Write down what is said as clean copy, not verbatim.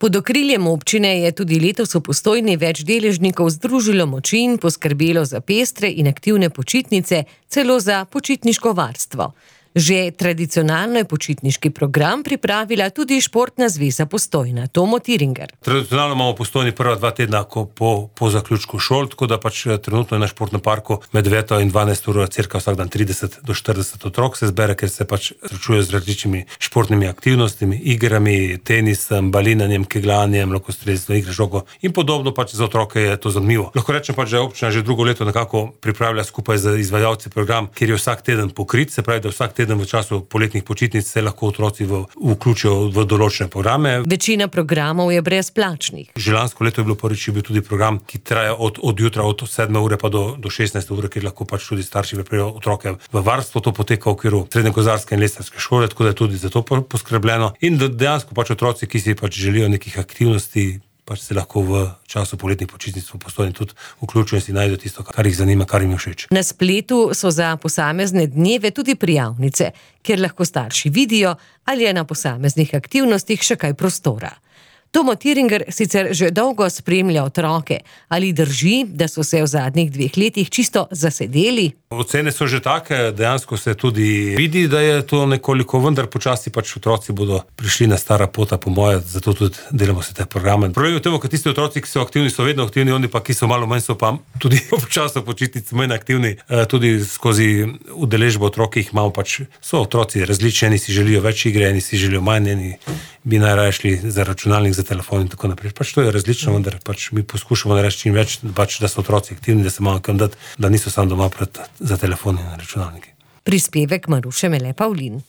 Pod okriljem občine je tudi letos v Postojni več deležnikov združilo moči in poskrbelo za pestre in aktivne počitnice, celo za počitniško varstvo. Že tradicionalno je počitniški program pripravila tudi Športna zveza Postojna, Tomo Tiringer. Tradicionalno imamo v Postojni prva 2 tedna po zaključku šol, tako da trenutno je na športnem parku med 9 in 12 uro cirka vsak dan 30 do 40 otrok se zbere, ker se srečuje z različnimi športnimi aktivnostmi, igrami, tenisom, balinanjem, kegljanjem, lokostrelstvom, igre žogo in podobno. Za otroke je to zanimivo. Lahko rečem da je občina že drugo leto nekako pripravlja skupaj z izvajalci program, kjer je vsak teden pokrit, se pravi, da vsak teden v času poletnih počitnic se lahko otroci vključijo v določene programe. Večina programov je brezplačnih. Že lansko leto je bilo prvič bil tudi program, ki traja od jutra od 7 ure pa do 16 ure, kjer lahko tudi starši pripravijo otroke v varstvo. To poteka v okviru srednjekozarske in lesarske šole, tako da je tudi za to poskrbljeno. In dejansko otroci, ki si želijo nekih aktivnosti, se lahko v času poletnih počitnic v Postojni tudi vključijo in si najdejo tisto, kar jih zanima, kar jim je všeč. Na spletu so za posamezne dneve tudi prijavnice, kjer lahko starši vidijo, ali je na posameznih aktivnostih še kaj prostora. Tomo Tiringer sicer že dolgo spremlja otroke. Ali drži, da so se v zadnjih 2 letih čisto zasedeli? Ocene so že take, dejansko se tudi vidi, da je to nekoliko, vendar počasi otroci bodo prišli na stara pota, po moje, zato tudi delamo se te programe. Problem je v tem, ker tisti otroci, ki so aktivni, so vedno aktivni, oni pa, ki so malo manj, so pa tudi v času počitnic manj aktivni, tudi skozi udeležbo otrok, jih imamo so otroci različni, eni si želijo več igre, eni si želijo manj, eni bi najraje šli za računalnik, za telefon in tako naprej. To je različno, vendar mi poskušamo narediti čim več, da so otroci aktivni, da se malo kam dati, da niso samo doma za telefon in računalniki. Prispevek Maruše Mele Pavlin.